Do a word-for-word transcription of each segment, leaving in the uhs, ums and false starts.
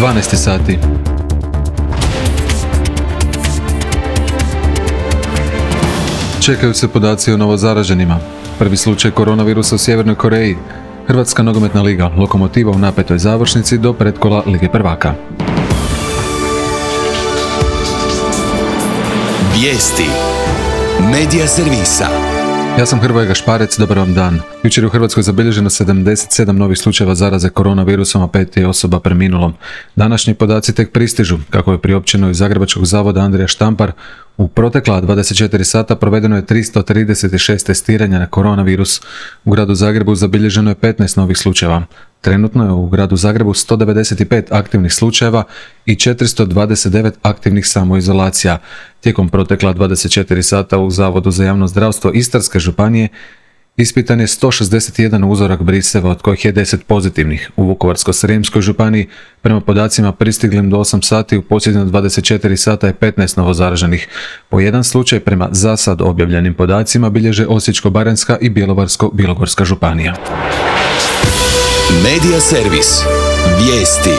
dvanaest sati. Čekaju se podaci o novozaraženima. Prvi slučaj koronavirusa u Sjevernoj Koreji. Hrvatska nogometna liga, Lokomotiva u napetoj završnici do pretkola Lige prvaka. Vijesti Medija servisa. Ja sam Hrvoje Gašparec, dobar vam dan. Jučer je u Hrvatskoj zabilježeno sedamdeset sedam novih slučajeva zaraze koronavirusom, a pet je osoba preminulo. Današnji podaci tek pristižu. Kako je priopćeno iz Zagrebačkog zavoda Andrija Štampar, u protekla dvadeset četiri sata provedeno je tristo trideset šest testiranja na koronavirus. U gradu Zagrebu zabilježeno je petnaest novih slučajeva. Trenutno je u gradu Zagrebu sto devedeset pet aktivnih slučajeva i četiristo dvadeset devet aktivnih samoizolacija. Tijekom protekla dvadeset četiri sata u Zavodu za javno zdravstvo Istarske županije ispitan je sto šezdeset jedan uzorak briseva, od kojih je deset pozitivnih. U Vukovarsko-srijemskoj županiji, prema podacima pristiglim do osam sati, u posljednjih dvadeset četiri sata je petnaest novozaraženih. Po jedan slučaj prema zasad objavljenim podacima bilježe Osječko-baranjska i Bjelovarsko-bilogorska županija. Medija servis. Vijesti.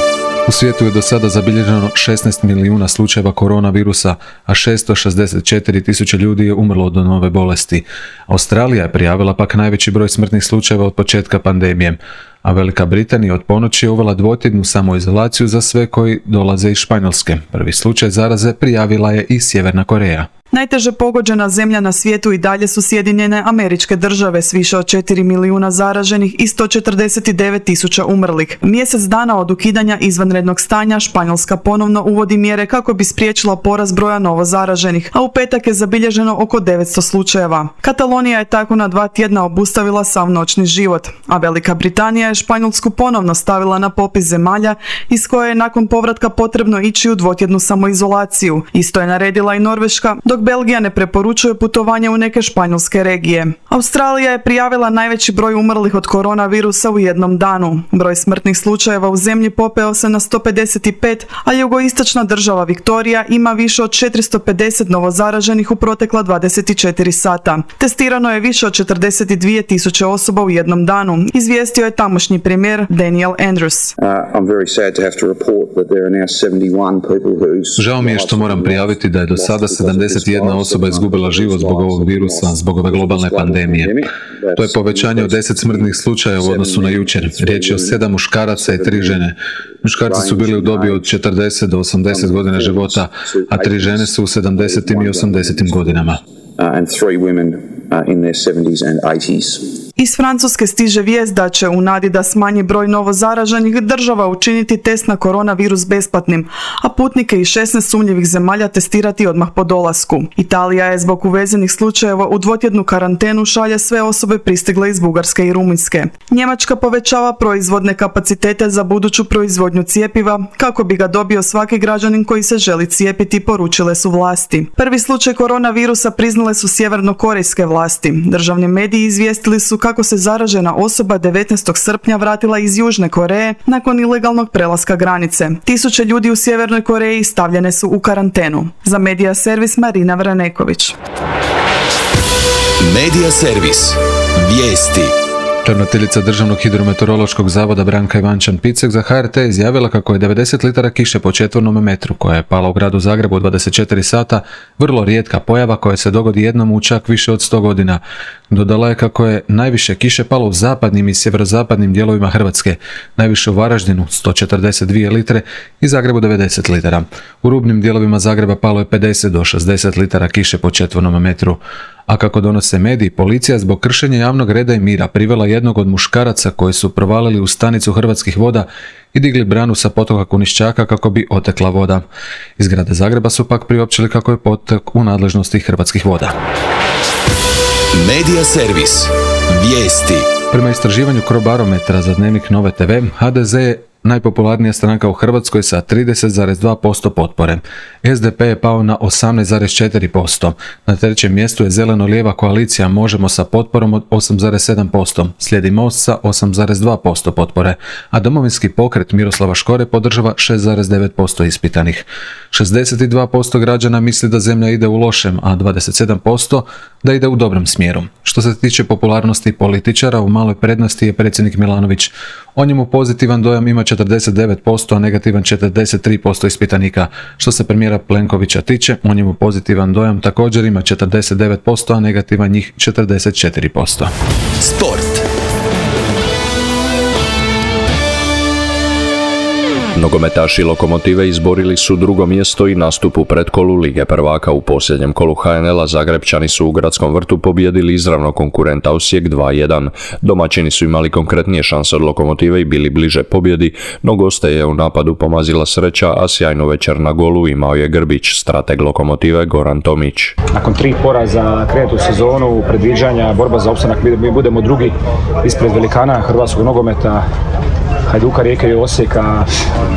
U svijetu je do sada zabilježeno šesnaest milijuna slučajeva koronavirusa, a šesto šezdeset četiri tisuće ljudi je umrlo od nove bolesti. Australija je prijavila pak najveći broj smrtnih slučajeva od početka pandemije, a Velika Britanija od ponoći je uvela dvotjednu samoizolaciju za sve koji dolaze iz Španjolske. Prvi slučaj zaraze prijavila je i Sjeverna Koreja. Najteže pogođena zemlja na svijetu i dalje su Sjedinjene Američke Države s više od četiri milijuna zaraženih i sto četrdeset devet tisuća umrlih. Mjesec dana od ukidanja izvanrednog stanja Španjolska ponovno uvodi mjere kako bi spriječila porast broja novozaraženih, a u petak je zabilježeno oko devetsto slučajeva. Katalonija je tako na dva tjedna obustavila sav noćni život, a Velika Britanija je Španjolsku ponovno stavila na popis zemalja iz koje je nakon povratka potrebno ići u dvotjednu samoizolaciju. Isto je naredila i Norveška, dok Belgija ne preporučuje putovanje u neke španjolske regije. Australija je prijavila najveći broj umrlih od koronavirusa u jednom danu. Broj smrtnih slučajeva u zemlji popeo se na sto pedeset pet, a jugoistočna država Viktorija ima više od četiristo pedeset novozaraženih u protekla dvadeset četiri sata. Testirano je više od četrdeset dvije tisuće osoba u jednom danu, izvijestio je tamošnji premijer Daniel Andrews. Žao mi je što moram prijaviti da je do sada sedamdeset jedna osoba izgubila život zbog ovog virusa, zbog ove globalne pandemije. To je povećanje od deset smrtnih slučaja u odnosu na jučer. Riječ je o sedam muškaraca i tri žene. Muškarci su bili u dobi od četrdeset do osamdeset godina života, a tri žene su u sedamdesetim i osamdesetim godinama. Iz Francuske stiže vijest da će, u nadi da smanji broj novozaraženih, država učiniti test na koronavirus besplatnim, a putnike iz šesnaest sumnjivih zemalja testirati odmah po dolasku. Italija je zbog uvezenih slučajeva u dvotjednu karantenu šalje sve osobe pristigle iz Bugarske i Rumunjske. Njemačka povećava proizvodne kapacitete za buduću proizvodnju cjepiva kako bi ga dobio svaki građanin koji se želi cijepiti, poručile su vlasti. Prvi slučaj koronavirusa priznale su sjevernokorejske vlasti. Državni mediji izvijestili su kako se zaražena osoba devetnaestog srpnja vratila iz Južne Koreje nakon ilegalnog prelaska granice. Tisuće ljudi u Sjevernoj Koreji stavljene su u karantenu. Za Medija servis Marina Vraneković. Medija servis. Vijesti. Ravnateljica Državnog hidrometeorološkog zavoda Branka Ivančan-Picek za H R T izjavila kako je devedeset litara kiše po četvornom metru koja je pala u gradu Zagrebu u dvadeset četiri sata vrlo rijetka pojava koja se dogodi jednom u čak više od sto godina. Dodala je kako je najviše kiše palo u zapadnim i sjeverozapadnim dijelovima Hrvatske, najviše u Varaždinu sto četrdeset dvije litre i Zagrebu devedeset litara. U rubnim dijelovima Zagreba palo je pedeset do šezdeset litara kiše po četvornom metru. A kako donose mediji, policija zbog kršenja javnog reda i mira privela jednog od muškaraca koji su provalili u stanicu Hrvatskih voda i digli branu sa potoka Kunišćaka kako bi otekla voda. Iz grada Zagreba su pak priopćili kako je potok u nadležnosti Hrvatskih voda. Medija servis. Vijesti. Prema istraživanju Crobarometra za Dnevnik Nove te ve, ha de ze je najpopularnija stranka u Hrvatskoj sa trideset zarez dva posto potpore. es de pe je pao na osamnaest zarez četiri posto. Na trećem mjestu je zeleno-lijeva koalicija Možemo sa potporom od osam zarez sedam posto. Slijedi Most sa osam zarez dva posto potpore, a Domovinski pokret Miroslava Škore podržava šest zarez devet posto ispitanih. šezdeset dva posto građana misli da zemlja ide u lošem, a dvadeset sedam posto da ide u dobrom smjeru. Što se tiče popularnosti političara, u maloj prednosti je predsjednik Milanović. O njemu pozitivan dojam ima četrdeset devet posto, a negativan četrdeset tri posto ispitanika. Što se premijera Plenkovića tiče, o njemu pozitivan dojam također ima četrdeset devet posto, a negativan njih četrdeset četiri posto. Sport. Nogometaši Lokomotive izborili su drugo mjesto i nastup u pretkolu Lige prvaka. U posljednjem kolu ha en el-a Zagrepčani su u Gradskom vrtu pobijedili izravno konkurenta Osijek dva jedan. Domaćini su imali konkretnije šanse od Lokomotive i bili bliže pobjedi, no goste je u napadu pomazila sreća, a sjajnu večer na golu imao je Grbić, strateg Lokomotive Goran Tomić. Nakon tri poraza krenuti u sezonu, predviđanja, borba za opstanak, mi budemo drugi ispred velikana hrvatskog nogometa, Hajduka, Rijeke i Osijeka,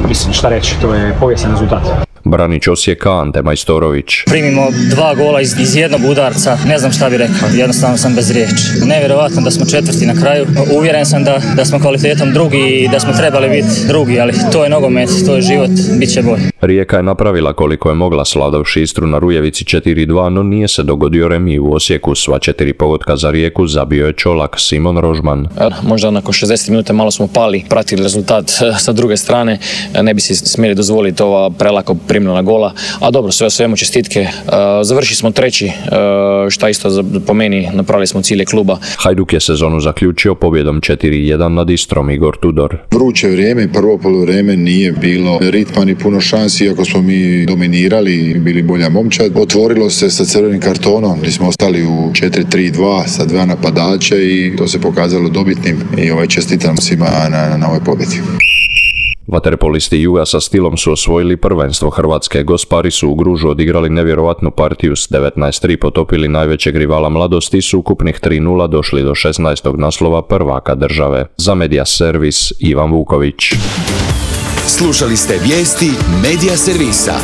mislim šta reći, to je povijesni rezultat. Branić Osijeka Ante Majstorović. Primimo dva gola iz, iz jednog udarca, ne znam šta bi rekao, jednostavno sam bez riječi. Nevjerojatno da smo četvrti na kraju, uvjeren sam da, da smo kvalitetom drugi i da smo trebali biti drugi, ali to je nogomet, to je život, bit će bolje. Rijeka je napravila koliko je mogla slavdavši Istru na Rujevici četiri dva, no nije se dogodio remi u Osijeku. Sva četiri pogotka za Rijeku zabio je Čolak Simon Rožman. Možda nakon šezdeset minuta malo smo pali, pratili rezultat sa druge strane, ne bi si smjeli dozvoliti ova prelako primljena gola, a dobro, sve o svemu čestitke. Završili smo treći, šta isto po meni napravili smo cilje kluba. Hajduk je sezonu zaključio pobjedom četiri jedan nad Istrom. Igor Tudor. Vruće vrijeme, prvo poluvrijeme nije bilo ritma ni puno šansi, iako smo mi dominirali i bili bolja momčad. Otvorilo se sa crvenim kartonom, gdje smo ostali u četiri tri dva sa dva napadača i to se pokazalo dobitnim i ovaj čestitam svima na, na ovoj pobjedi. Vaterpolisti Juga sa stilom su osvojili prvenstvo Hrvatske. Gospari su u Gružu odigrali nevjerovatnu partiju, s devetnaest tri potopili najvećeg rivala Mladosti i s ukupnih tri nula došli do šesnaestog naslova prvaka države. Za Media Servis Ivan Vuković. Slušali ste vijesti Media Servisa.